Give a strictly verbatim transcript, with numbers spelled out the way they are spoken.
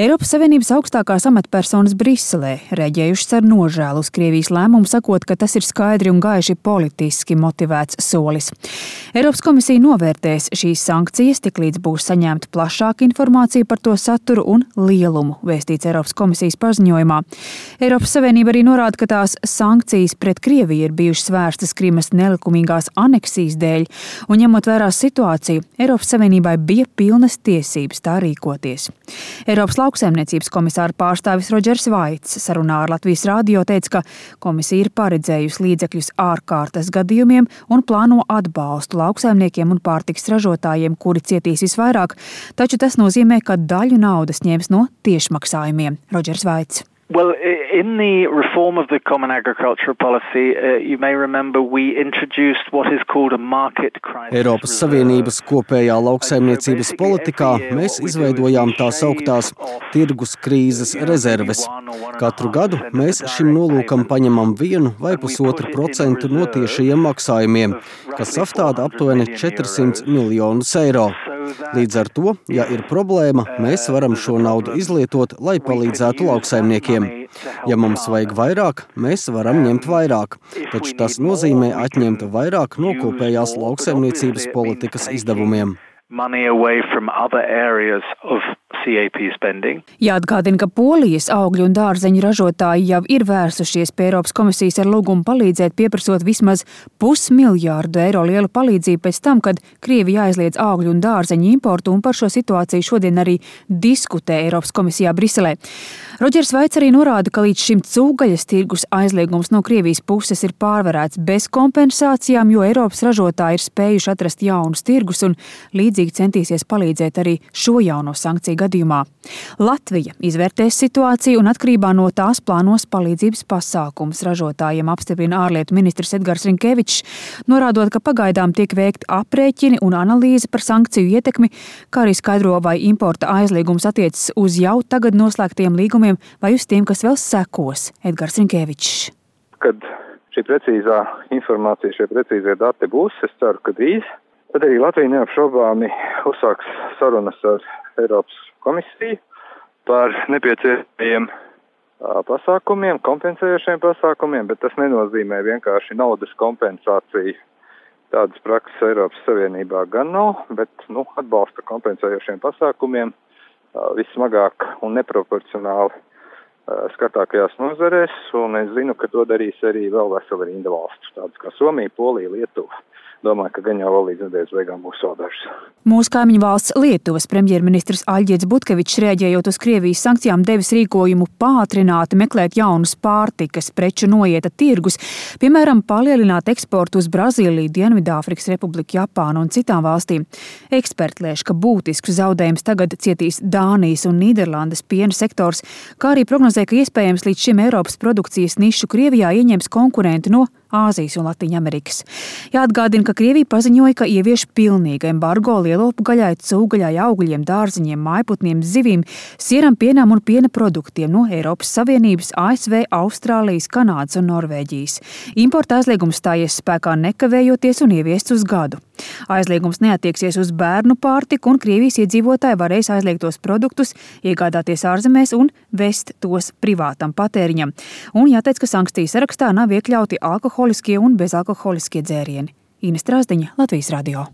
Eiropas Savienības augstākās amatpersonas Briselē reaģējušas ar nožēlu uz Krievijas lēmumu, sakot, ka tas ir skaidri un gaiši politiski motivēts solis. Eiropas komisija novērtēs šīs sankcijas, tiklīdz būs saņemta plašāka informācija par to saturu un lielumu, vēstīts Eiropas komisijas paziņojumā. Eiropas Savienība arī norāda, ka tās sankcijas pret Krieviju ir bijušas vērstas Krimas nelikumīgās aneksijas dēļ, un ņemot vērā situāciju, Eiropas Savienībai bija pilnas tiesības tā rīkoties. Eiropas lauksaimniecības komisāra pārstāvis Rodžers Vaits sarunā ar Latvijas radio teica, ka komisija ir paredzējusi līdzekļus ārkārtas gadījumiem un plāno atbalstu lauksaimniekiem un pārtikas ražotājiem, kuri cietīs visvairāk, taču tas nozīmē, ka daļu naudas ņems no tiešmaksājumiem. Rodžers Vaits. Well, in the reform of the Common Agricultural Policy, uh, you may remember we introduced what is called a market crisis. Eiropas Savienības kopējā lauksaimniecības politikā mēs izveidojām tās augtās tirgus krīzes rezerves. Katru gadu mēs šim nolūkam paņemam vienu vai pusotru procentu no tiešajiem maksājumiem, kas sastāv aptuveni četrsimt miljonus eiro. Līdz ar to, ja ir problēma, mēs varam šo naudu izlietot, lai palīdzētu lauksaimniekiem. Ja mums vajag vairāk, mēs varam ņemt vairāk, taču tas nozīmē atņemt vairāk no kopējās lauksaimniecības politikas izdevumiem. Money away from other areas of C A P spending. Jāatgādina, ka Polijas augļu un dārzeņu ražotāji jau ir vērsušies pie Eiropas komisijas ar lūgumu palīdzēt, pieprasot vismaz pusmiljārdu eiro lielu palīdzību pēc tam, kad Krievija aizliedz augļu un dārzeņu importu, un par šo situāciju šodien arī diskutē Eiropas komisijā Briselē. Rodžers Vaits arī norāda, ka līdz šim cūgaļas tirgus aizliegums no Krievijas puses ir pārvarēts bez kompensācijām, jo Eiropas ražotāji ir spējuši atrast jaunus tirgus un līdzīgi centīsies palīdzēt arī šo jauno sankciju gadījumā. Latvija izvērtēs situāciju un atkarībā no tās plānos palīdzības pasākumus ražotājiem, apstiprina ārlietu ministrs Edgars Rinkevičs, norādot, ka pagaidām tiek veikti aprēķini un analīze par sankciju ietekmi, kā arī skaidro, vai importa aizliegums attiecas uz jau tagad noslēgtiem līgumiem vai uz tiem, kas vēl sekos. Edgars Rinkevičs. Kad šī precīzā informācija, šie precīzie dati būs, es ceru, ka drīz, tad arī Latvija neapšaubāmi uzsāks sarunas ar Eiropas komisiju par nepieciešamiem pasākumiem, kompensējošiem pasākumiem, bet tas nenozīmē vienkārši naudas kompensāciju. Tādas prakses Eiropas Savienībā gan nav, bet nu, atbalsta kompensējošiem pasākumiem vissmagāk un neproporcionāli skatākajās nozarēs, un es zinu, ka to darīs arī vēl vesela rinda valstu, tādas kā Somija, Polija, Lietuva. Domāju, ka gan jau vēl līdz nedēļas beigām būs vēl dažas. Mūsu kaimiņu valsts Lietuvas premjerministrs Aļģirds Butkevičs, reaģējot uz Krievijas sankcijām, devis rīkojumu pātrināti meklēt jaunus pārtikas preču noieta tirgus, piemēram, palielināt eksportu uz Brazīliju, Dienvidāfrikas Republiku, Japānu un citām valstīm. Eksperti lēš, ka būtisks zaudējums tagad cietīs Dānijas un Nīderlandes piena sektors, kā arī prognozē, ka iespējams līdz šim Eiropas produkcijas nišu Krievijā ieņems konkurenti no Āzijas un Latīņamerikas. Jāatgādina, ka Krievija paziņoja, ka ievieš pilnīgu embargo lielopu gaļai, cūgaļai, augļiem, dārziņiem, mājputniem, zivīm, sieram, pienām un piena produktiem no Eiropas Savienības, A S V, Austrālijas, Kanādas un Norvēģijas. Importa aizliegums stājies spēkā nekavējoties un ieviests uz gadu. Aizliegums neatieksies uz bērnu pārtiku, un Krievijas iedzīvotāji varēs aizliegtos produktus iegādāties ārzemēs un vest tos privātam patēriņam. Un jāteic, ka sankciju sarakstā nav iekļauti alkoholiskie un bezalkoholiskie dzērieni. Ines Strāzdiņa, Latvijas radio.